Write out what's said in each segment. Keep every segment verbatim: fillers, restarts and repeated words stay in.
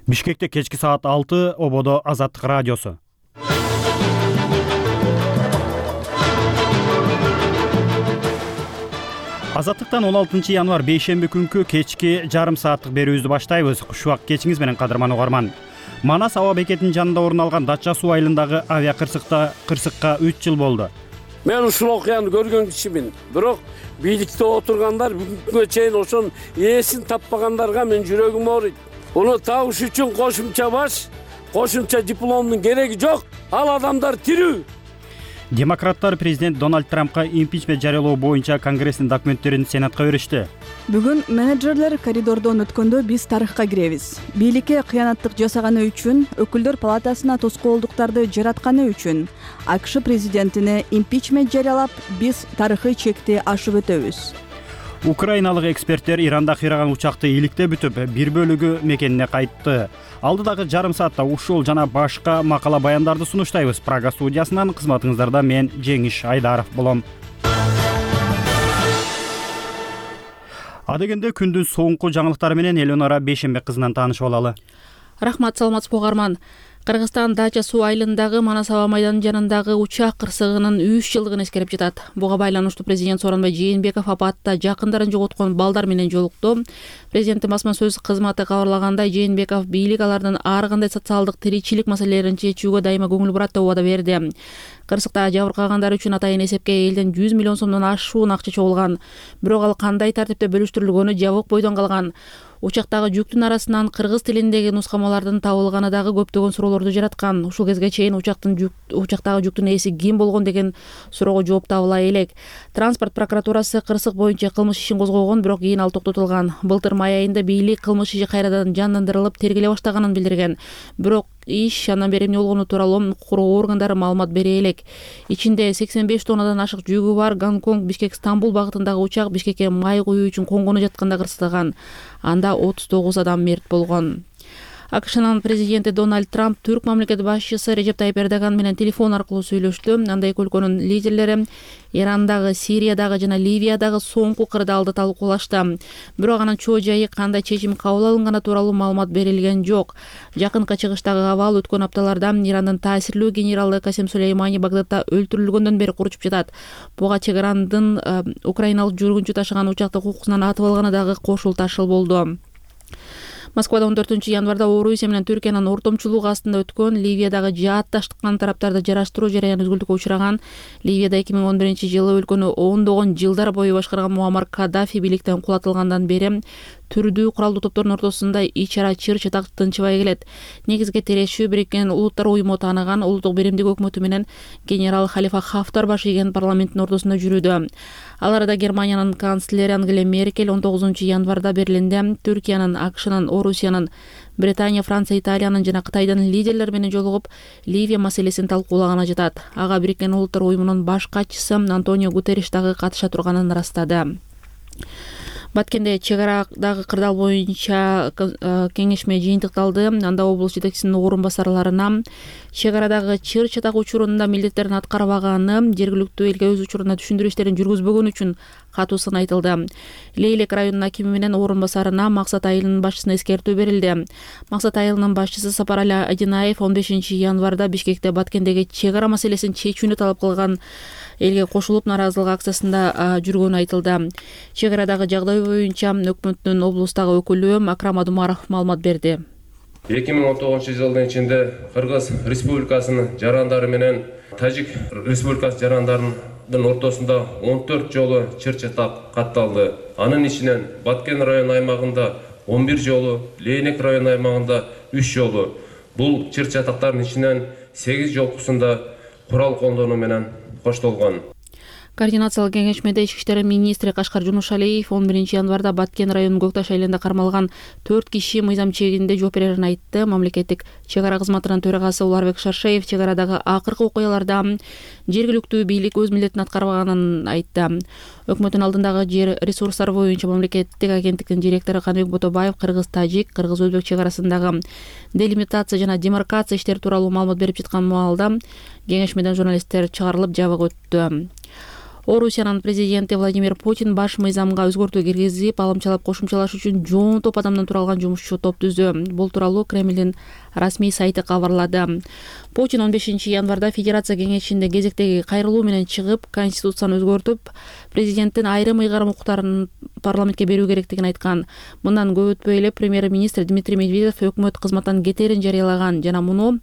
Бишкекте кечки саат алты, ободо Азаттык радиосу. Азаттыктан он алтынчы январь бейшемби күнкү кечки жарым сааттык берүүбүздү баштайбыз. Кушубак кечиңиз менен кадырман угарман. Манас аба бекетинин жанында орун алган Дача суу айылындагы авиа кырсыкта кырсыкка үч жыл болду. Мен ушул окуяны көргөн кишимин. Бирок бийликте отургандар бүгүнгө чейин ошонун ээсин таппагандарга мен жүрөгүм ооруйт. Уну табыш үчүн кошумча баш, кошумча дипломдун кереги жок. Ал адамдар тирүү. Демократтар президент Дональд Трампка импичмент жарыялоо боюнча Конгресстин документтерин Сенатка беришти. Бүгүн менеджерлер коридордон өткөндө биз тарыхка киребиз. Бийликке кыянаттык жасаганы үчүн, өкүлдөр палатасына тоскоолдуктарды жаратканы үчүн АКШ президентине импичмент жарыялап, биз тарыхый чекти ашып өтөбүз. Украиналык эксперттер Иранда кыйраган учакты иликте бүтүп, бир бөлүгү мекенине кайтты. Алдыдагы жарым саатта ушул жана башка макала баяндарды сунуштайбыз. Прага студиясынан кызматыңыздарда мен Жеңиш Айдаров болом. Адегенде күндүн соңку жаңылыктары менен Элеонора Бейшембек кызынан таанышып алалы. Рахмат, саламатсызбы угарман. Кыргызстан Дача суу айылындагы Манас аба майданынын жанындагы учак кырсыгынын үч жылдыгын эскерип жатат. Буга байланыштуу президент Сооронбай Жээнбеков апатта жакындарын жоготкон балдар менен жолукту. Президенттин басма сөз кызматы кабарлагандай, Жээнбеков бийлик алардын ар кандай социалдык тиричилик маселелерин чечүүгө дайыма көңүл бурат деп убада берди. Кырсыкта жабыркагандар үчүн атайын эсепке элден жүз миллион сомдон ашуун акча чогулган. Бирок ал кандай тартипте бөлүштүрүлгөнү жабык бойдон калган. Учактагы жүктүн арасынан кыргыз тилиндеги нускамалардын табылганы дагы көптөгөн суроолорду жараткан. Ушул кезге чейин учактын жүк, учактагы жүктүн ээси ким болгон деген суроого жооп табыла элек. Транспорт прокуратурасы кырсык боюнча кылмыш ишин козгогон, бирок кийин ал токтотулган. Былтыр май айында бийлик кылмыш иши кайрадан жандандырылып тергеле баштаганын билдирген. Бирок иш андан бери эмне болгону тууралуу укук коргоо органдары маалымат бере элек. Ичинде сексен беш тоннадан ашык жүгү бар Гонконг Бишкек Стамбул багытындагы учак Бишкекке май куюу үчүн конгону жатканда кырсыган. Анда отуз тогуз адам мерт болгон. АКШнын президенти Дональд Трамп түрк мамлекети башчысы Режеп Тайип Эрдоган менен телефон аркылуу сүйлөштү. Анда эки өлкөнүн лидерлери Ирандагы, Сириядагы жана Ливиядагы соңку кырдаалды талкуулашты. Бирок анын чоо жайы, кандай чечим кабыл алынганы тууралуу маалымат берилген жок. Жакынкы чыгыштагы абал өткөн апталарда Ирандын таасирлүү генералы Касем Сулеймани Багдадда өлтүрүлгөндөн бери куручуп жатат. Буга чеграндын украиналык жүргүнчү ташыган учакты укуксунан атып алганы дагы кошул ташыл болду. Москвада он төртүнчү январда Орусия менен Түркиянын ортомчулугу астында өткөн Ливиядагы жаатташтыккан тараптарды жараштыруу жараяны үзгүлтүккө учураган. Ливияда эки миң он биринчи жылы өлкөнү ондогон жылдар бою башкарган Муаммар Каддафи бийликтен кулатылгандан бери түрдүү куралдуу топтордун ортосунда ич-ара чыр чатак тынчыбай келет. Негизги тирешүү Бириккен Улуттар уюму тааныган улуттук биримдик өкмөтү менен генерал Халифа Хафтар баш ийген парламенттин ортосунда жүрүүдө. Ал арада Германиянын канцлери Ангела Меркель он тогузунчу январда Берлинде Түркиянын, АКШнын, Орусиянын, Британия, Франция, Италиянын жана Кытайдын лидерлери менен жолугуп Ливия маселесин талкуулаганы жатат. Ага Бириккен Улуттар уюмунун баш катчысы Антонио Гутерриш дагы катыша турганын ырастады. Баткенде чегарадагы кырдаал боюнча кеңешме жыйынтыкталды. Анда облус жетекчисинин орун басарларына чегарадагы чыр чатак учурунда милдеттерин аткарбаганы, жергиликтүү элге өз учурунда түшүндүрүү иштерин жүргүзбөгөн үчүн катуу сын айтылды. Лейлек районунун акими менен орун басарына Максат айылынын башчысына эскертүү берилди. Максат айылынын башчысы Сапарали Адинаев он бешинчи январда Бишкекте Баткендеги чегара маселесин чечүүнү талап кылган элге кошулуп нааразылык акциясында жүргөнү айтылды. Чегарадагы жагдай боюнча өкмөттүн облустагы өкүлү Акрам Адумаров маалымат берди. эки миң он тогузунчу жылдын ичинде Кыргыз Республикасынын жарандары менен Тажик Республикасы жарандарынын ортосунда он төрт жолу чыр чатак катталды. Анын ичинен Баткен район аймагында он бир жолу, Лейнек район аймагында үч жолу. Бул чыр чатактардын ичинен сегиз жолкусунда курал колдонуу менен коштолгон. Координациялык кеңешмеде ички иштер министри Кашкар Жунушалиев он биринчи январда Баткен районунун Көкташ айылында кармалган төрт киши мыйзам чегинде жооп берерин айтты. Мамлекеттик чегара кызматынын төрагасы Уларбек Шаршеев чегарадагы акыркы окуяларда жергиликтүү бийлик өз милдетин аткарбаганын айтты. Өкмөттүн алдындагы жер ресурстары боюнча мамлекеттик агенттиктин директору Каныбек Ботобаев кыргыз-тажик, кыргыз-өзбек чегарасындагы делимитация жана демаркация иштери тууралуу маалымат берип жаткан маалда кеңешмеден журналисттер чыгарылып жабык өттү. Орусиянын президенти Владимир Путин баш мыйзамга өзгөртүү киргизип, алымчалап кошумчалаш үчүн жон топ адамдан туралган жумушчу топ түздү. Бул тууралуу Кремлдин расмий сайты кабарлады. Путин он бешинчи январда Федерация кеңешинде кезектеги кайрылуу менен чыгып, конституцияны өзгөртүп, президенттин айрым ыйгарым укуктарын парламентке берүү керектигин айткан. Мындан көп өтпөй эле премьер-министр Дмитрий Медведев өкмөт кызматтан кетерин жарыялаган жана муну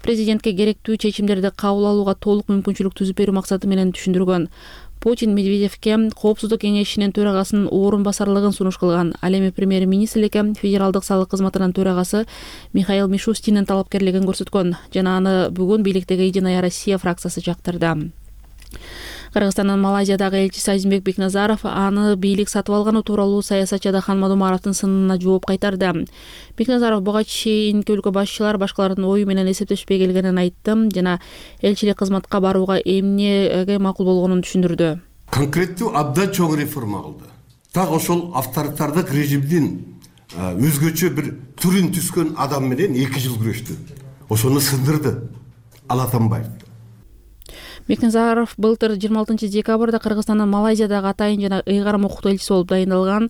президентке керектүү чечимдерди кабыл алууга толук мүмкүнчүлүк түзүп берүү максаты менен түшүндүргөн. Путин Медведевке Коопсуздук кеңешинин төрагасынын орун басарлыгын сунуш кылган. Ал эми премьер-министрликке федералдык салык кызматынын төрагасы Михаил Мишустиндин талапкерлигин көрсөткөн жана аны бүгүн бийликтеги Единая Россия фракциясы жактырды. Кыргызстандын Малайзиядагы элчиси Азимбек Бекназаров аны бийлик сатып алганы тууралуу саясатчы Адахан Мадумаровдун сынына жооп кайтарды. Бекназаров буга чейинки өлкө башчылар башкалардын ою менен эсептешпей келгенин айтты жана элчилик кызматка барууга эмнеге макул болгонун түшүндүрдү. Конкреттүү абдан чоң реформа кылды. Так ошол авторитардык режимдин өзгөчө бир түрүн түскөн адам менен эки жыл күрөштү. Ошону сындырды. Ала Атамбаев. Бекназаров былтыр жыйырма алтынчы декабрда Кыргызстандын Малайзиядагы атайын жана ыйгарым укуктуу элчиси болуп дайындалган.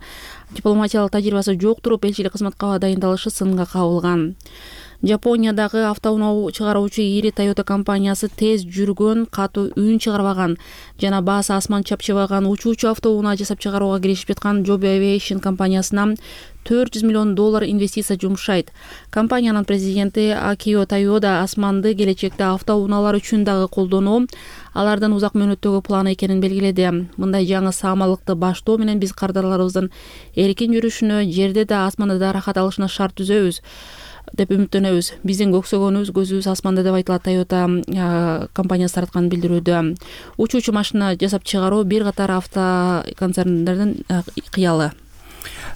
Дипломатиялык тажрыйбасы жок туруп элчилик кызматка дайындалышы сынга кабылган. Жапониядагы автоунаа чыгаруучу ири Toyota компаниясы тез жүргөн, катуу үн чыгарбаган жана баасы асман чапчыбаган учуучу автоунаа жасап чыгарууга киришип жаткан Joby Aviation компаниясына төрт жүз миллион доллар инвестиция жумшайт. Компаниянын президенти Акио Тойода асманды келечекте автоунаалар үчүн дагы колдонуу алардын узак мөөнөттөгү планы экенин белгиледи. Мындай жаңы саамалыкты баштоо менен биз кардарларыбыздын эркин жүрүшүнө, жерде да асманда да рахат алышына шарт түзөбүз деп үмүттөнөбүз. Биздин көксөгөнүбүз көзүбүз асманда деп айтылат Toyota компаниясы тараткан билдирүүдө. Учуучу машина жасап чыгаруу бир катар авто концерндердин кыялы.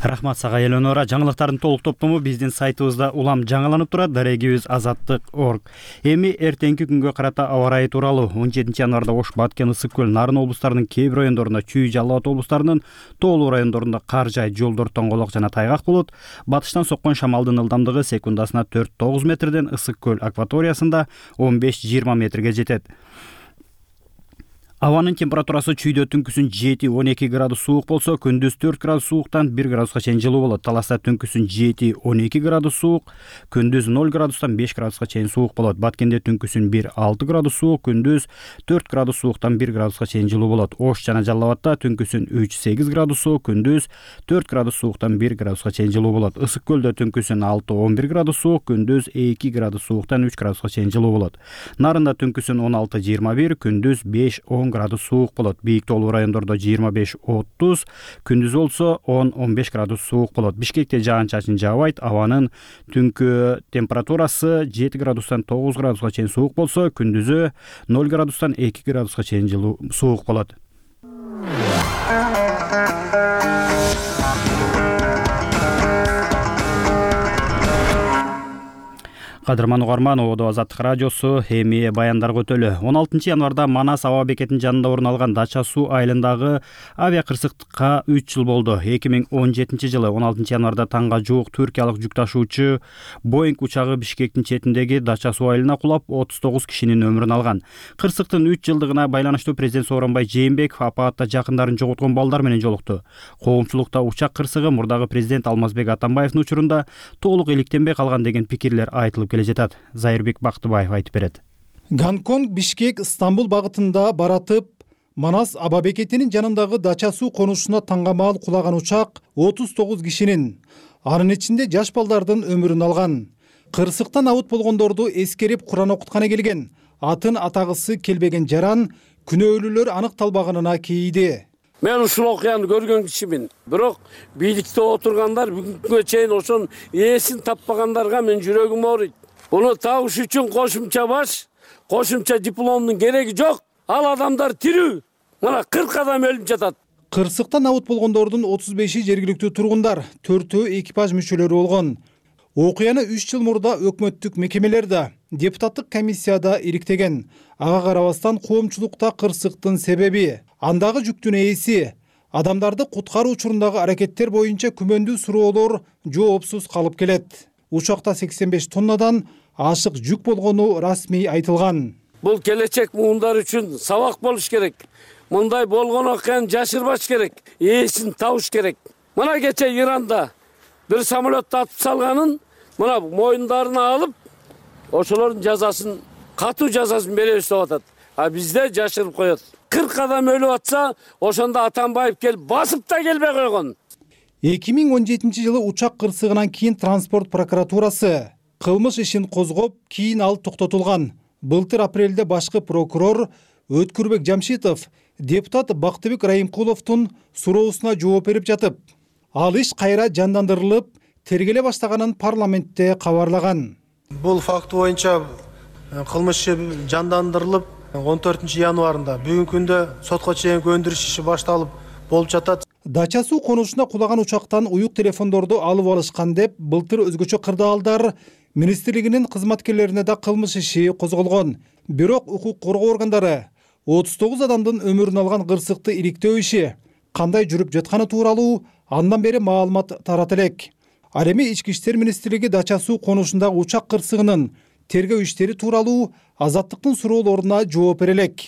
Рахмат сага Эленора. Жаңылыктардын толук топтому биздин сайтыбызда улам жаңыланып турат. Дарегибиз азаттык точка орг. Эми эртеңки күнгө карата аба ырайы тууралуу. он жетинчи январда Ош, Баткен, Ысык көл, Нарын облустарынын кээ бир райондорунда, Чүй, Жалал Абад облустарынын тоолуу райондорунда кар жаайт, жолдор тоңголок жана тайгак болот. Батыштан соккон шамалдын ылдамдыгы секундасына төрт тогуз метрден Ысык көл акваториясында он беш жыйырма метрге жетет. Абанын температурасы чүйдө түнкүсүн жети он эки градус суук болсо, күндүз төрт градус сууктан бир градуска чейин жылуу болот. Таласта түнкүсүн жети он эки градус суук, күндүз ноль градустан беш градуска чейин суук болот. Баткенде түнкүсүн бир алты градус суук, күндүз төрт градус сууктан бир градуска чейин жылуу болот. Ош жана Жалал Абадта түнкүсүн үч сегиз градус суук, күндүз төрт градус сууктан бир градуска чейин жылуу болот. Ысык көлдө түнкүсүн алты он бир градус суук, күндүз эки градус сууктан үч градуска чейин жылуу болот. Нарында түнкүсүн он алты жыйырма бир, күндүз беш он градус суук болот. Бийик тоолуу райондордо жыйырма беш отуз, күндүз болсо он он беш градус суук болот. Бишкекте жаан-чачын жаабайт. Абанын түнкү температурасы жети градустан тогуз градуска чейин суук болсо, күндүзү ноль градустан эки градуска чейин жылуу суук болот. Кадырман угарман, Ободо Азаттык радиосу, эми баяндарга өтөлү. он алтынчы январда Манас аба бекетинин жанында орун алган Дача суу айылындагы авиакырсыктыкка үч жыл болду. эки миң он жетинчи жылы он алтынчы январда таңга жуук түркиялык жүк ташуучу Боинг учагы Бишкектин четиндеги Дача суу айылына кулап, отуз тогуз кишинин өмүрүн алган. Кырсыктын үч жылдыгына байланыштуу президент Сооронбай Жээнбеков апаатта жакындарын жоготкон балдар менен жолукту. Коомчулукта учак кырсыгы мурдагы президент Алмазбек Атамбаевдин учурунда толук иликтенбей калган деген пикирлер айтылып келе жатат. Зайырбек Бактыбаев айтып берет. Гонконг, Бишкек, Стамбул багытында баратып, Манас аба бекетинин жанындагы Дача суу конушуна таңгамаал кулаган учак отуз тогуз кишинин, анын ичинде жаш балдардын өмүрүн алган. Кырсыктан абут болгондорду эскерип Куран окутканы келген, атын атагысы келбеген жаран күнөөлүүлөр аныкталбаганына кейиди. Мен ушул окуяны көргөн кишимин. Бирок бийликте отургандар бүгүнгө чейин ошонун ээсин таппагандарга мен жүрөгүм ооруйт. Буну табыш үчүн кошумча баш, кошумча дипломдун кереги жок. Ал адамдар тирүү. Мына кырк адам өлүп жатат. Кырсыктан абут болгондордун отуз беши жергиликтүү тургундар, төртөө экипаж мүчөлөрү болгон. Окуяны үч жыл мурда өкмөттүк мекемелер да, депутаттык комиссияда ириктеген. Ага карабастан коомчулукта кырсыктын себеби, андагы жүктүн ээси, адамдарды куткаруу учурундагы аракеттер боюнча күмөндүү суроолор жоопсуз калып келет. Учакта сексен беш тоннадан ашык жүк болгону расмий айтылган. Бул келечек муундар үчүн сабак болуш керек. мындай болгон окуяны жашырбаш керек, ээсин табыш керек. Мына кече Иранда бир самолетту атып салганын мына моюндарына алып, ошолордун жазасын, катуу жазасын беребиз деп атат. А бизде жашырып коет. кырк адам өлүп атса, ошондо Атамбаев келип басып да келбей койгон. эки миң он жетинчи жылы учак кырсыгынан кийин транспорт прокуратурасы кылмыш ишин козгоп, кийин ал токтотулган. Былтыр апрелде башкы прокурор Өткүрбек Жамшитов депутат Бактыбек Райымкуловдун суроосуна жооп берип жатып, ал иш кайра жандандырылып, тергеле баштаганын парламентте кабарлаган. Бул факт боюнча кылмыш иши жандандырылып, он төртүнчү январында бүгүнкү күндө сотко чейинки өндүрүш иши башталып болуп жатат. Дача суу конушуна кулаган учактан уюк телефондорду алып алышкан деп былтыр өзгөчө кырдаалдар министрлигинин кызматкерлерине да кылмыш иши козголгон. Бирок укук коргоо органдары отуз тогуз адамдын өмүрүн алган кырсыкты ириктөө иши кандай жүрүп жатканы тууралуу андан бери маалымат тарата элек. Ал эми Ички иштер министрлиги дача суу конушундагы учак кырсыгынын тергөө иштери тууралуу Азаттыктын суроолоруна жооп бере элек.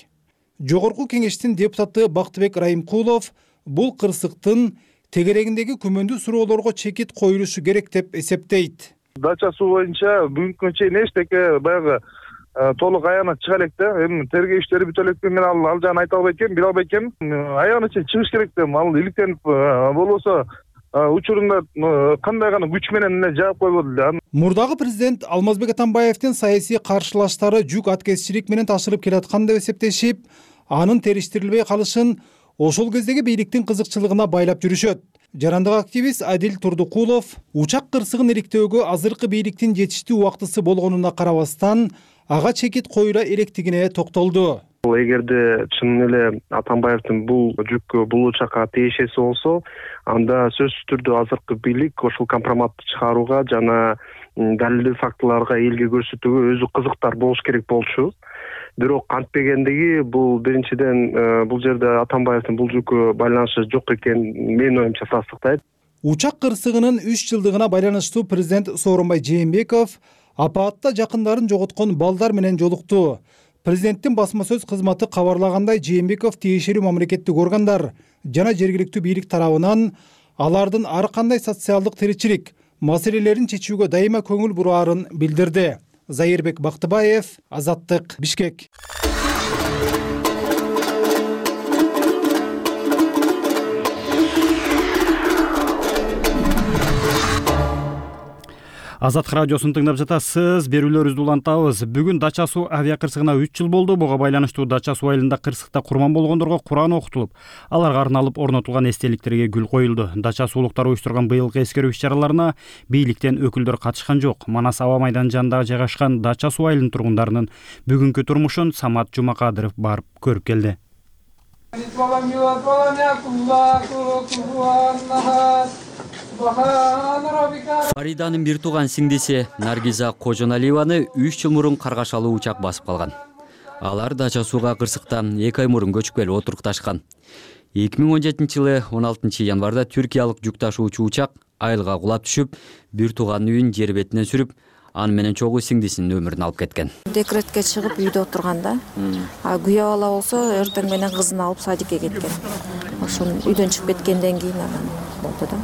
Жогорку кеңештин депутаты Бактыбек Райымкулов бул кырсыктын тегерегиндеги күмөндүү суроолорго чекит коюлушу керек деп эсептейт. Дача суу боюнча бүгүнкү чейин эчтеке баягы толук аянат чыга элек да. Эми тергөө иштери бүтө элек мен ал ал жагын айта албайт экенмин, биле албайт экенмин. Аянат чыгыш керек да. Ал иликтенип болбосо учурунда кандай гана күч менен жаап койбоду эле. Мурдагы президент Алмазбек Атамбаевдин саясий каршылаштары жүк аткезчилик менен ташырып келаткан деп эсептешип, анын териштирилбей калышын ошол кездеги бийликтин кызыкчылыгына байлап жүрүшөт. Жарандык активист Адил Турдукулов учак кырсыгын ириктөөгө азыркы бийликтин жетиштүү убактысы болгонуна карабастан ага чекит коюла электигине токтолду. Эгерде чын эле Атамбаевдин бул жүк бул учакка тиешеси болсо, анда сөзсүз түрдө азыркы бийлик ошол компроматты чыгарууга жана далилдүү фактыларга элге көрсөтүүгө өзү кызыктар болуш керек болчу. Бирок кантпегендиги бул биринчиден бул жерде Атамбаевдин бул жүккө байланышы жок экен менин оюмча тастыктайт. Учак кырсыгынын үч жылдыгына байланыштуу президент Сооронбай Жээнбеков апаатта жакындарын жоготкон балдар менен жолукту. Президенттин басма сөз кызматы кабарлагандай, Жээнбеков тиешелүү мамлекеттик органдар жана жергиликтүү бийлик тарабынан алардын ар кандай социалдык тиричилик маселелерин чечүүгө дайыма көңүл бураарын билдирди. Зайырбек Бактыбаев, Азаттык, Бишкек. Азаттык радиосун тыңдап жатасыз. Берүүлөрүбүздү улантабыз. Бүгүн Дача суу авиа кырсыгына үч жыл болду. Буга байланыштуу Дача суу айылында кырсыкта курман болгондорго Куран окутулуп, аларга арналып орнотулган эстеликтерге гүл коюлду. Дача суулуктар уюштурган быйылкы эскерүү иш-чараларына бийликтен өкүлдөр катышкан жок. Манас аба майданынын жанында жайгашкан Дача суу айылынын тургундарынын бүгүнкү турмушун Самат Жумакадыров барып көрүп келди. Фариданын бир тууган сиңдиси Наргиза Кожоналиеваны үч жыл мурун каргашалуу учак басып калган. Алар Дача сууга кырсыктан эки ай мурун көчүп келип отурукташкан. эки миң он жетинчи жылы он алтынчы январда түркиялык жүк ташуучу учак айылга кулап түшүп, бир тууганын үйүн жер бетинен сүрүп, аны менен чогуу сиңдисинин өмүрүн алып кеткен. Декретке чыгып үйдө отурганда, а күйөө бала болсо эртең менен кызын алып садикке кеткен. Ошон үйдөн чыгып кеткенден кийин анан болду да.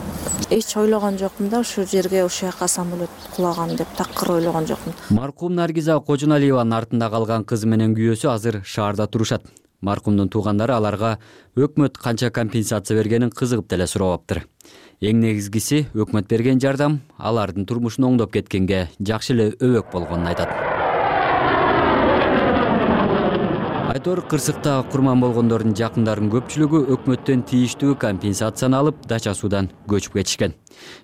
Эч ойлогон жокмун да, ушул жерге ушул жака самолет кулаган деп такыр ойлогон жокмун. Маркум Наргиза Кожоналиеванын артында калган кызы менен күйөөсү азыр шаарда турушат. Маркумдун туугандары аларга өкмөт канча компенсация бергенин кызыгып деле сурабаптыр. Эң негизгиси өкмөт берген жардам алардын турмушун оңдоп кеткенге жакшы эле өбөк болгонун айтат. Айтор кырсыкта курман болгондордун жакындарынын көпчүлүгү өкмөттөн тийиштүү компенсацияны алып Дача суудан көчүп кетишкен.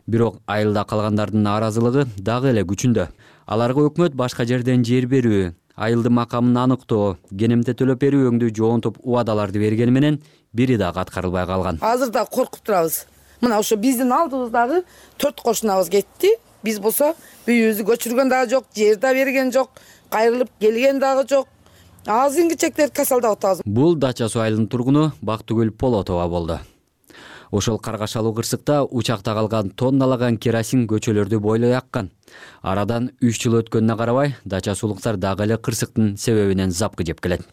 Бирок айылда калгандардын нааразылыгы дагы эле күчүндө. Аларга өкмөт башка жерден жер берүү, айылдын макамын аныктоо, кенемте төлөп берүү өңдүү жоонтуп убадаларды бергени менен бири дагы аткарылбай калган. Азыр да коркуп турабыз. Мына ошо биздин алдыбыздагы төрт кошунабыз кетти. Биз болсо үйүбүздү көчүргөн дагы жок, жер да берген жок, кайрылып келген дагы жок. Азыркы чектер касалдап атабыз. Бул Дача суу айылынын тургуну Бактыгүл Полотова болду. Ошол каргашалуу кырсыкта учакта калган тонналаган керосин көчөлөрдү бойлой аккан. Арадан үч жыл өткөнүнө карабай, дача суулуктар дагы эле кырсыктын себебинен запкы жеп келет.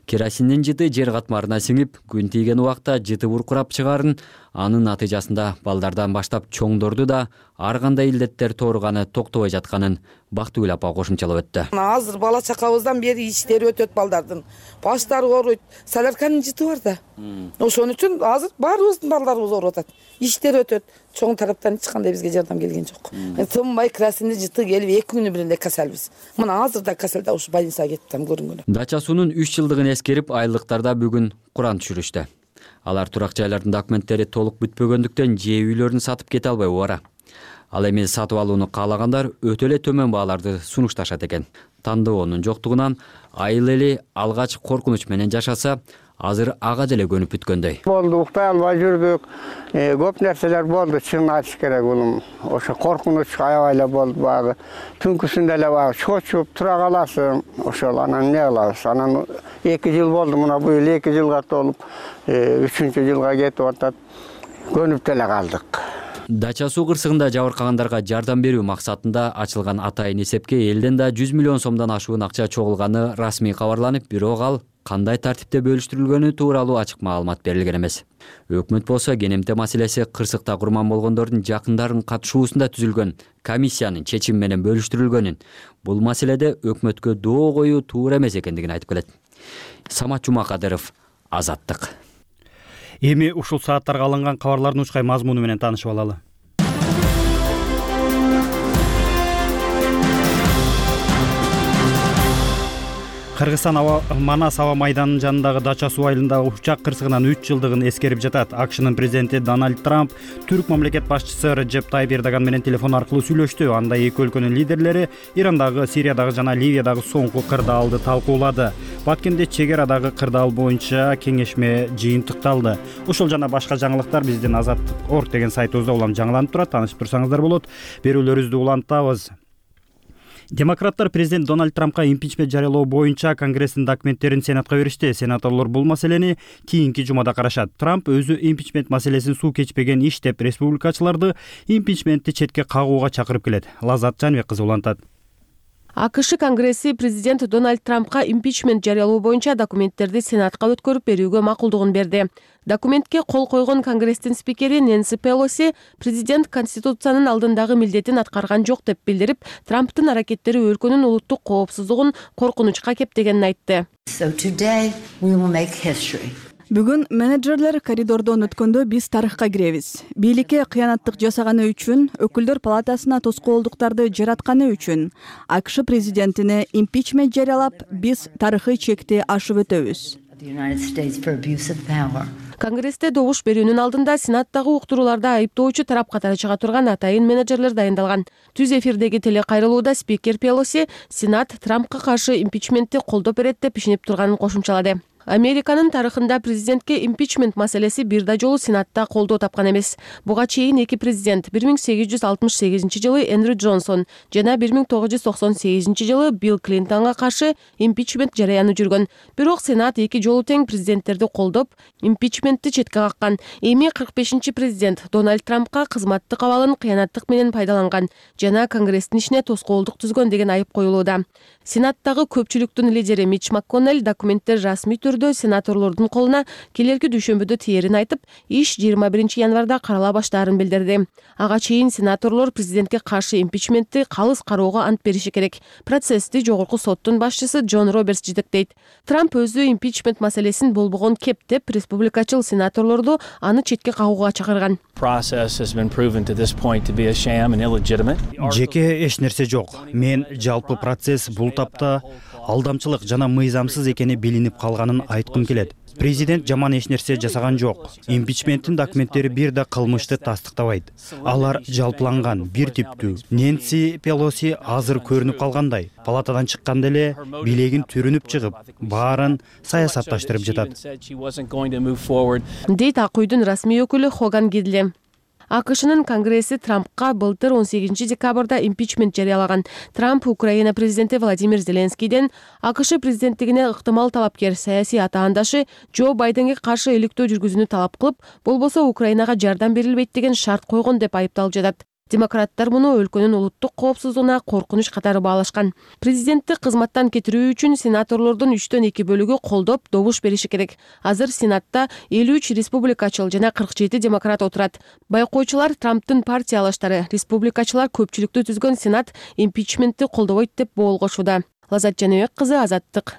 Керосиндин жыты жер катмарына сиңип, күн тийген убакта жыты буркурап чыгарын, анын натыйжасында балдардан баштап чоңдорду да ар кандай илдеттер тооруганы токтобой жатканын Бактыгүл апа кошумчалап өттү. Азыр бала чакабыздан бери иштери өтөт балдардын. Баштары ооруйт. Солярканын жыты бар да. Ошон үчүн азыр баарыбыздын балдарыбыз ооруп атат. Иштери өтөт. Чоң тараптан эч кандай бизге жардам келген жок. Тынбай керосиндин жыты келип эки күнү бир эле касалбыз. Мына азыр да касалда ушу больницага кеттим көрүнгөнү. Дача суунун үч жылдыгын эскерип, айлыктарда бүгүн Куран түшүрүштү. Алар турак жайлардын документтери толук бүтпөгөндүктөн жээ үйлөрүн сатып кете албай убара. Ал эми сатып алууну каалагандар өтө эле төмөн бааларды сунушташат экен. Тандоонун жоктугунан айыл эли алгач коркунуч менен жашаса, азыр ага деле көнүп бүткөндөй. Болду, уктай албай жүрдүк. Көп нерселер болду, чын айтыш керек улум. Ошо коркунуч аябай эле болду багы. Түнкүсүндө эле багы чочуп тура каласың. Ошол анан эмне кылабыз? Анан эки жыл болду, мына быйыл эки жылга толуп, үчүнчү жылга кетип атат. Көнүп деле калдык. Дача суу кырсыгында жабыркагандарга жардам берүү максатында ачылган атайын эсепке элден да жүз миллион сомдон ашуун акча чогулганы расмий кабарланып, бирок ал кандай тартипте бөлүштүрүлгөнү тууралуу ачык маалымат берилген эмес. Өкмөт болсо КНМТ маселеси кырсыкта курман болгондордун жакындарын катышуусунда түзүлгөн комиссиянын чечими менен бөлүштүрүлгөнүн, бул маселеде өкмөткө доо коюу туура эмес экендигин айтып келет. Самат Жумакадыров, Азаттык. Эми ушул сааттарга алынган кабарлардын учкай мазмуну менен таанышып алалы. Кыргызстан Манас аба майданынын жанындагы Дача суу айылындагы учак кырсыгынын үч жылдыгын эскерип жатат. АКШнын президенти Дональд Трамп түрк мамлекет башчысы Реджеп Тайип Эрдоган менен телефон аркылуу сүйлөштү. Анда эки өлкөнүн лидерлери Ирандагы, Сириядагы жана Ливиядагы соңку кырдаалды талкуулады. Баткенде чек арадагы кырдаал боюнча кеңешме жыйынтыкталды. Ушул жана башка жаңылыктар биздин азаттык точка орг деген сайтыбызда улам жаңыланып турат. Таанышып турсаңыздар болот. Берүүлөрүбүздү улантабыз. Демократтар президент Дональд Трампка импичмент жарыялоо боюнча Конгресстин документтерин Сенатка беришти. Сенаторлор бул маселени кийинки жумада карашат. Трамп өзү импичмент маселесин суу кечпеген иш деп республикачыларды импичментти четке кагууга чакырып келет. Лазат Жанбек кызы улантат. АКШ Конгресси президент Дональд Трампка импичмент жарыялоо боюнча документтерди Сенатка өткөрүп берүүгө макулдугун берди. Документке кол койгон Конгресстин спикери Нэнси Пелоси президент Конституциянын алдындагы милдетин аткарган жок деп билдирип, Трамптын аракеттери өлкөнүн улуттук коопсуздугун коркунучка кептегенин айтты. Бүгүн менеджерлер коридордон өткөндө биз тарыхка киребиз. Бийликке кыянаттык жасаганы үчүн, өкүлдөр палатасына тоскоолдуктарды жаратканы үчүн АКШ президентине импичмент жарыялап, биз тарыхый чекти ашып өтөбүз. Конгрессте добуш берүүнүн алдында Сенаттагы уктурууларда айыптоочу тарап катары чыга турган атайын менеджерлер дайындалган. Түз эфирдеги телекайрылууда спикер Пелоси Сенат Трампка каршы импичментти колдоп берет деп ишенип турганын кошумчалады. Американын тарыхында президентке импичмент маселеси бир да жолу Сенатта колдоо тапкан эмес. Буга чейин эки президент бир миң сегиз жүз алтымыш сегизинчи жылы Эндрю Джонсон жана бир миң тогуз жүз токсон сегизинчи жылы Билл Клинтонго каршы импичмент жарыяны жүргөн. Бирок Сенат эки жолу тең президенттерди колдоп, импичментти четке каккан. Эми кырк бешинчи президент Дональд Трампка кызматтык абалын кыянаттык менен пайдаланган жана Конгресстин ишине тоскоолдук түзгөн деген айып коюлууда. Сенаттагы көпчүлүктүн лидери Митч МакКоннелл документтер расмий түрдө сенаторлордун колуна келерки дүйшөмбүдө тиерин айтып, иш жыйырма биринчи январда карала баштаарын билдирди. Ага чейин сенаторлор президентке каршы импичментти калыс кароого ант бериши керек. Процессти жогорку соттун башчысы Джон Робертс жетектейт. Трамп өзү импичмент маселесин болбогон кеп деп республикачыл сенаторлорду аны четке кагууга чакырган. Жеке эч нерсе жок. Мен жалпы процесс бул тапта алдамчылык жана мыйзамсыз экени билинип калганын айткым келет. Президент жаман эч нерсе жасаган жок. Импичменттин документтери бир да кылмышты тастыктабайт. Алар жалпыланган, бир типтүү. Нэнси Пелоси азыр көрүнүп калгандай, палатадан чыкканда эле билегин түрүнүп чыгып, баарын саясатташтырып жатат. Дейт Ак үйдүн расмий өкүлү Хоган Гидли. АКШнын Конгресси Трампка былтыр он сегизинчи декабрда импичмент жарыялаган. Трамп Украина президенти Владимир Зеленскийден АКШ президенттигине ыктымал талапкер саясий атаандашы Джо Байденге каршы иликтөө жүргүзүүнү талап кылып, болбосо Украинага жардам берилбейт деген шарт койгон деп айыпталып жатат. Демократтар муну өлкөнүн улуттук коопсуздугуна коркунуч катары баалашкан. Президентти кызматтан кетирүү үчүн сенаторлордун үчтөн эки бөлүгү колдоп добуш бериши керек. Азыр Сенатта элүү үч республикачыл жана кырк жети демократ отурат. Байкоочулар Трамптын партиялаштары, республикачылар көпчүлүктү түзгөн Сенат импичментти колдобойт деп боолгошууда. Лазат Жаныбек кызы, Азаттык.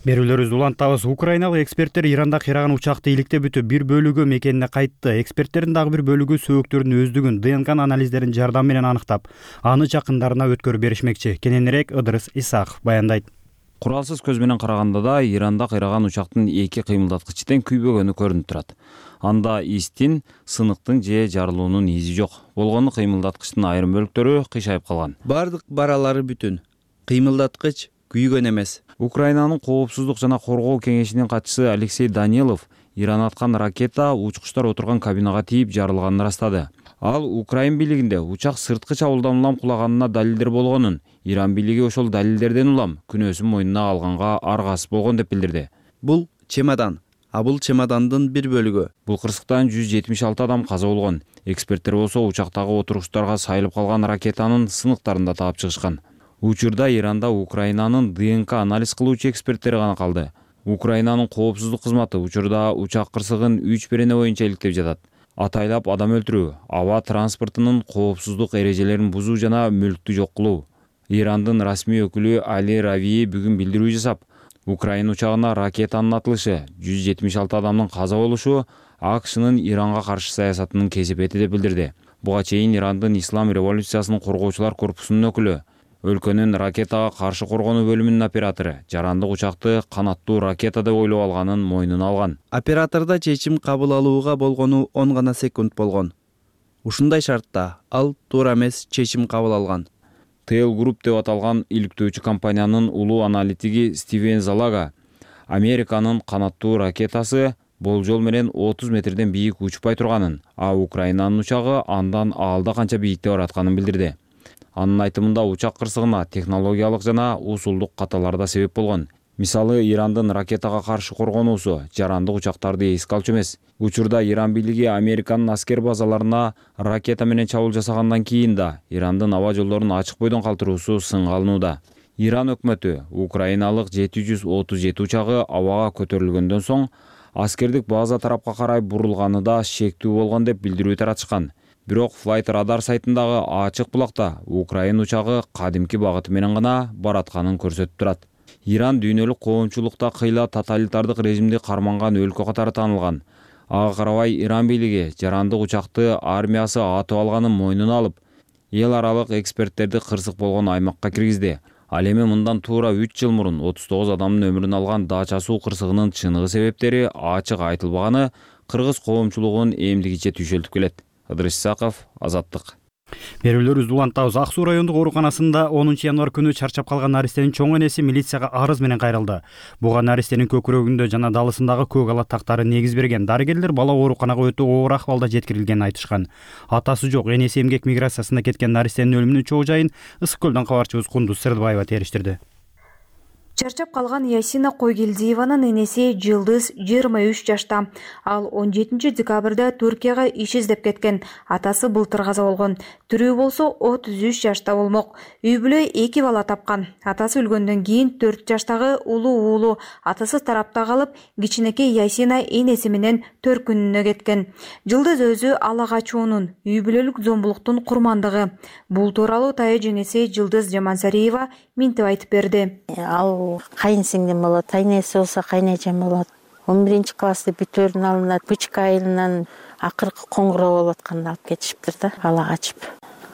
Берүүлөрүбүздү улантабыз. Украиналык эксперттер Иранда кыйраган учакты иликтеп бүтүп, бир бөлүгү мекенине кайтты. Эксперттердин дагы бир бөлүгү сөөктөрдүн өздүгүн ДНК анализдеринин жардамы менен аныктап, аны жакындарына өткөрүп беришмекчи. Кененирээк Ыдырыс Исаков баяндайт. Куралсыз көз менен караганда да Иранда кыйраган учактын эки кыймылдаткычы тең күйбөгөнү көрүнүп турат. Анда истин, сыныктын же жарылуунун изи жок. Болгону кыймылдаткычтын айрым бөлүктөрү кыйшайып калган. Бардык баралары бүтүн. Кыймылдаткыч күйгөн эмес. Украинанын коопсуздук жана коргоо кеңешинин катчысы Алексей Данилов Иран аткан ракета учкучтар отурган кабинага тийип жарылганын ырастады. Ал Украин бийлигинде учак сырткы чабуулдан улам кулаганына далилдер болгонун, Иран бийлиги ошол далилдерден улам күнөөсүн мойнуна алганга аргасыз болгон деп билдирди. Бул чемодан, а бул чемодандын бир бөлүгү. Бул кырсыктан жүз жетимиш алты адам каза болгон. Эксперттер болсо учактагы отургучтарга сайылып калган ракетанын сыныктарын да таап чыгышкан. Учурда Иранда Украинанын ДНК анализ кылуучу эксперттери гана калды. Украинанын коопсуздук кызматы учурда учак кырсыгын үч берене боюнча иликтеп жатат. Атайлап адам өлтүрүү, аба транспортунун коопсуздук эрежелерин бузуу жана мүлктү жок кылуу. Ирандын расмий өкүлү Али Равии бүгүн билдирүү жасап, Украина учагына ракетанын атылышы, жүз жетимиш алты адамдын каза болушу АКШнын Иранга каршы саясатынын кесепети деп билдирди. Буга чейин Ирандын Ислам революциясынын коргоочулар корпусунун өкүлү, өлкөнүн ракетага каршы коргонуу бөлүмүнүн оператору жарандык учакты канаттуу ракета деп ойлоп алганын мойнуна алган. Оператордо чечим кабыл алууга болгону он гана секунд болгон. Ушундай шартта ал туура эмес чечим кабыл алган. Тейл Group деп аталган иликтөөчү компаниянын улуу аналитиги Стивен Залага Американын канаттуу ракетасы болжол менен отуз метрден бийик учпай турганын, а Украинанын учагы андан аалда канча бийикте баратканын билдирди. Анын айтымында учак кырсыгына технологиялык жана усулдук каталар да себеп болгон. Мисалы, Ирандын ракетага каршы коргонуусу жарандык учактарды эске алчу эмес. Учурда Иран бийлиги Американын аскер базаларына ракета менен чабуул жасагандан кийин да Ирандын аба жолдорун ачык бойдон калтыруусу сынга алынууда. Иран өкмөтү Украиналык жети жүз отуз жети учагы абага көтөрүлгөндөн соң аскердик база тарапка карай бурулганы да шектүү болгон деп билдирүү таратышкан. Бирок Flight Radar сайтындагы ачык булакта Украин учагы кадимки багыты менен гана баратканын көрсөтүп турат. Иран дүйнөлүк коомчулукта кыйла тоталитардык режимди карманган өлкө катары таанылган. Ага карабай Иран бийлиги жарандык учакты армиясы атып алганын мойнуна алып, эл аралык эксперттерди кырсык болгон аймакка киргизди. Ал эми мындан туура үч жыл мурун отуз тогуз адамдын өмүрүн алган Дача суу кырсыгынын чыныгы себептери ачык айтылбаганы кыргыз коомчулугун эмдигиче түйшөлтүп келет. Ыдырыс Исаков, Азаттык. Берүүлөрүбүздү улантабыз. Ак суу райондук ооруканасында онунчу январь күнү чарчап калган наристенин чоң энеси милицияга арыз менен кайрылды. Буга наристенин көкүрөгүндө жана далысындагы көк ала тактары негиз берген. Дарыгерлер бала ооруканага өтө оор акыбалда жеткирилгенин айтышкан. Атасы жок, энеси эмгек миграциясына кеткен наристенин өлүмүнүн чоо жайын Ысык көлдөн кабарчыбыз Кундуз Сырдыбаева териштирди. Чарчап калган Ясина Койгелдиеванын энеси Жылдыз жыйырма үч жашта. Ал он жетинчи декабрда Түркияга иш издеп кеткен. Атасы былтыр каза болгон. Тирүү болсо отуз үч жашта болмок. Үй бүлө эки бала тапкан. Атасы өлгөндөн кийин төрт жаштагы улуу уулу атасы тарапта калып, кичинекей Ясина энеси менен төркүнүнө кеткен. Жылдыз өзү ала качуунун, үй бүлөлүк зомбулуктун курмандыгы. Бул тууралуу тая жеңеси Жылдыз Жамансариева минтип айтып берди. Ал кайын сиңдим болот, кайнеси болсо кайнэжем болот. он биринчи классты бүтөөрүн алынат, бычка айылынан акыркы коңгуроо болуп атканда алып кетишиптир да, ала качып.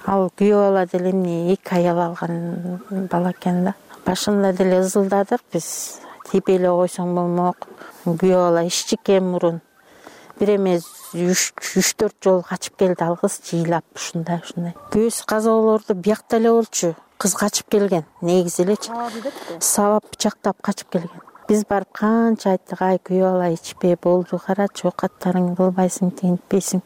Ал күйөө бала деле эмне эки аял алган бала экен да. Башында деле ызылдадык биз, тип эле койсоң болмок. Күйөө бала ишчи экен мурун. Бир эмес үч төрт жолу качып келди ал кыз жыйлап ушундай ушундай. Күйөөсү каза болоорду биякта эле болчу. Кыз качып келген, негизи элечи. Сабап бычактап качып келген. Биз барып канча айттык, ай күйөө бала ичпей болду, карачы окаттарыңды кылбайсың, тигинтпейсиң.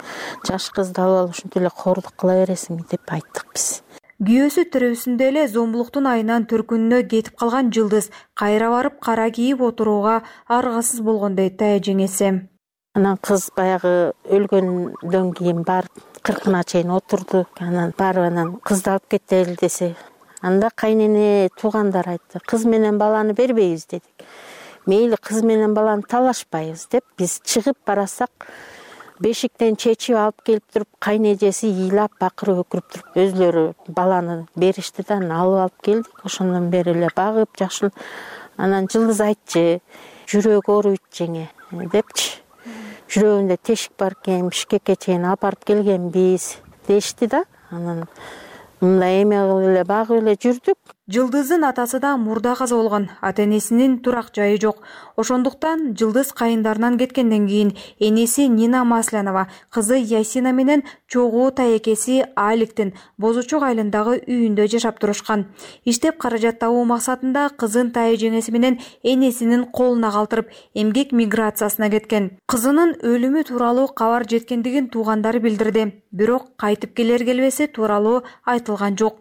Жаш кызды алып алып ушинтип эле кордук кыла бересиңби деп айттык биз. Күйөөсү тирүүсүндө эле зомбулуктун айынан төркүнүнө кетип калган Жылдыз кайра барып кара кийип отурууга аргасыз болгон дейт тая жеңеси. Анан кыз баягы өлгөндөн кийин барып кыркына чейин отурдук. Анан барып анан кызды алып кетели десе, анда кайнене туугандар айтты, кыз менен баланы бербейбиз дедик. Мейли кыз менен баланы талашпайбыз деп биз чыгып барасак, бешиктен чечип алып келип туруп, кайнежеси ыйлап бакырып өкүрүп туруп өзлөрү баланы беришти да, алып алып келдик. Ошондон бери эле багып жакшы. Анан Жылдыз айтчы, жүрөгү ооруйт жеңе депчи. Жүрөгүндө тешик бар экен, Бишкекке чейин алып барып келгенбиз дешти да. Анан мындай эме кылып эле багып эле жүрдүк. Жылдыздын атасы да мурда каза болгон, ата-энесинин турак жайы жок. Ошондуктан Жылдыз кайындарынан кеткенден кийин энеси Нина Маслянова, кызы Ясина менен чогуу таекеси Аликтин Боз Учок айылындагы үйүндө жашап турушкан. Иштеп каражат табуу максатында кызын тайы жеңеси менен энесинин колуна калтырып, эмгек миграциясына кеткен. Кызынын өлүмү тууралуу кабар жеткендигин туугандары билдирди, бирок кайтып келер келбеси тууралуу айтылган жок.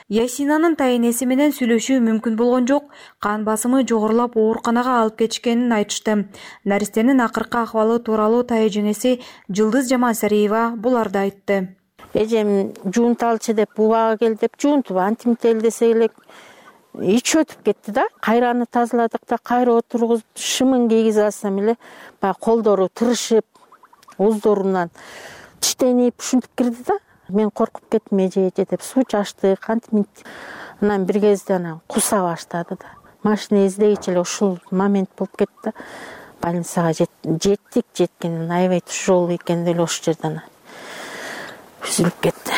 Ясинанын тайенеси менен сүйлөшүү мүмкүн болгон жок, кан басымы жогорулап ооруканага алып кетишкенин айтышты. Наристенин акыркы акыбалы тууралуу тайы жеңеси Жылдыз Жамансариева буларды айтты. Эжем жуунталчы деп убага кел деп жуунтуп антимител десе элек ич өтүп кетти да. Кайраны тазаладык да, кайра отургузуп шымын кийгизе алсам эле баягы колдору тырышып, оздорунан тиштенип ушинтип кирди да. Мен коркуп кеттим, эже эже деп суу чачтык, антимит. Анан бир кезде анан куса баштады да. Машина издегичи эле ушул момент болуп кетти да. Больницага жеттик, жеткенин аябай тяжелый экен деле ошол жерден үзүлүп кетти.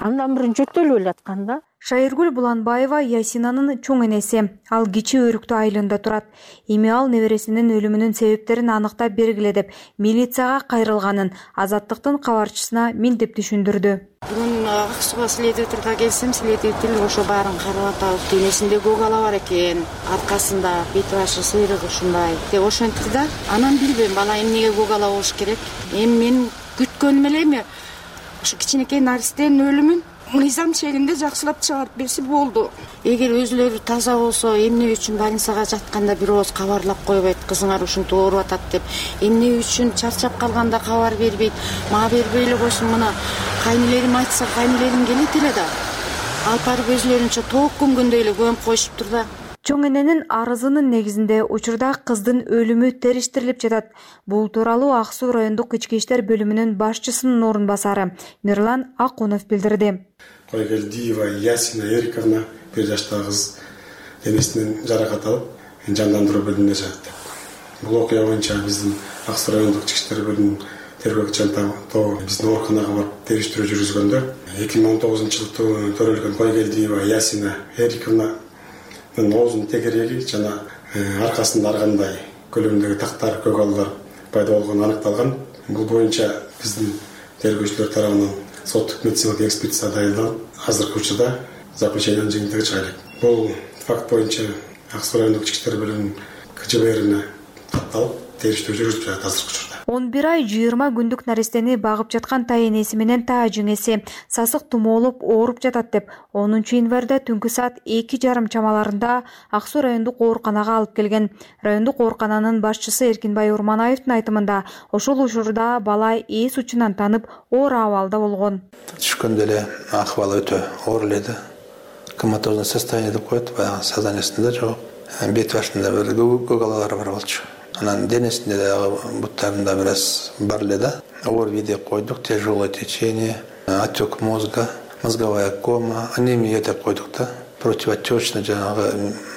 Андан бирин жөтөлүп эле аткан да. Шайыргүл Буланбаева Ясинанын чоң энеси. Ал Кичи Өрүктүү айылында турат. Эми ал небересинин өлүмүнүн себептерин аныктап бергиле деп милицияга кайрылганын Азаттыктын кабарчысына минтип түшүндүрдү. Бүгүн Ак Сууга следователге келсем, следователь ошо баарын карап атабыз. Денесинде көгала бар экен, аркасында бет башы сыйрык ушундай деп ошентти да. Анан билбейм, бала эмнеге көгала болуш керек. Эми мен күткөнүм эле эми ушу кичинекей Наристенин өлүмүн мыйзам чегинде жакшылап чыгарып берсе болду. Эгер өзүлөрү таза болсо, эмне үчүн больницага жатканда бир ооз кабарлап койбойт, кызыңар ушинтип ооруп атат деп. Эмне үчүн чарчап калганда кабар бербейт. Мага бербей эле койсун, мына кайнелерим айтса, кайнелерим келет эле да. Алып барып өзүлөрүнчө тоок көмгөндөй эле көмүп коюшуптур да. Чоң эненин арызынын негизинде учурда кыздын өлүмү териштирилип жатат. Бул тууралуу Ак Суу райондук ички иштер бөлүмүнүн башчысынын орун басары Мирлан Акунов билдирди. Койгелдиева Ясина Эриковна бир жаштагы кыз денесинен жаракат алып, жандандыруу бөлүмүнө жатты. Бул окуя боюнча биздин Ак Суу райондук ички иштер бөлүмүнүн тергөөчү тобу биздин ооруканага барып териштирүү жүргүзгөндө эки миң он тогузунчу жылы төрөлгөн Койгелдиева Ясина Эриковна оозунун тегереги жана аркасында ар кандай көлөмдөгү тактар, көгалдар пайда болгону аныкталган. Бул боюнча биздин тергөөчүлөр тарабынан соттук медициналык экспертиза дайындалып, азыркы учурда заключениянын жыйынтыгы чыга элек. Бул факт боюнча Ак Суу райондук ички иштер бөлүмүнүн К Ж Б Рине катталып, териштирүү жүргүзүлүп жатат азыркы учурда. он бир ай жыйырма күндүк наристени багып жаткан тайенеси менен таа жеңеси сасык тумоолоп ооруп жатат деп онунчу январда түнкү саат эки жарым чамаларында Ак Суу райондук ооруканага алып келген. Райондук оорукананын башчысы Эркинбай Урманаевдин айтымында ошол учурда бала эс учунан танып оор абалда болгон. Түшкөндө эле акыбалы өтө оор эле да. Коматозное состояние деп коет, баягы сознаниясында жок. Бет башында бир көгалалар бар болчу. Анан денесинде дагы буттарында бир аз бар эле да. ОРВИ деп койдук, тяжелое течение, отек мозга, мозговая кома, анемия деп койдук да. Противотечный жанагы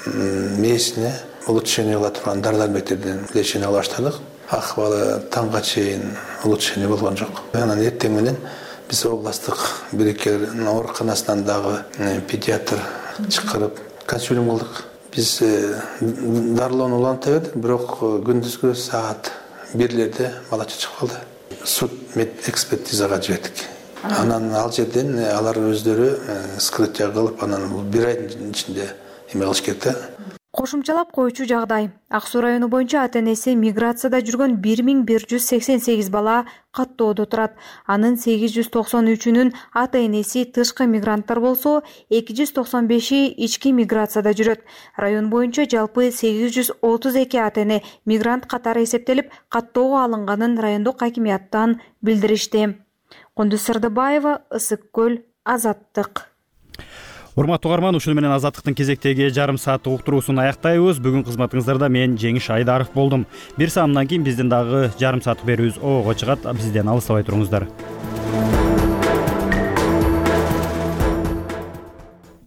мээсине улучшение кыла турган дары-дармектерден лечение кыла баштадык. Акыбалы таңга чейин улучшение болгон жок. Анан эртең менен биз областтык бирикер ооруканасынан дагы педиатр чакырып консилиум кылдык. Биз дарылоону уланта бердик, бирок күндүзгү саат бирлерде бала чыгып калды. Суд мед экспертизага жибердик. Анан ал жерден алар өздөрү скрытие кылып, анан бул бир айдын ичинде эме кылыш керек да. Кошумчалап коючу жагдай. Ак Суу району боюнча ата энеси миграцияда жүргөн бир миң бир жүз сексен сегиз бала каттоодо турат. Анын сегиз жүз токсон үчүнүн ата энеси тышкы мигранттар болсо, эки жүз токсон беши ички миграцияда жүрөт. Район боюнча жалпы сегиз жүз отуз эки ата эне мигрант катары эсептелип, каттоого алынганын райондук акимияттан билдиришти. Кундуз Сырдыбаева, Ысык көл, Азаттык. Урматтуу угарман, ушуну менен Азаттыктын кезектеги жарым сааттык уктуруусун аяктайбыз. Бүгүн кызматыңыздарда мен Жеңиш Айдаров болдум. Бир саамдан кийин биздин дагы жарым сааттык берүүбүз ого чыгат. Бизден алыстабай туруңуздар.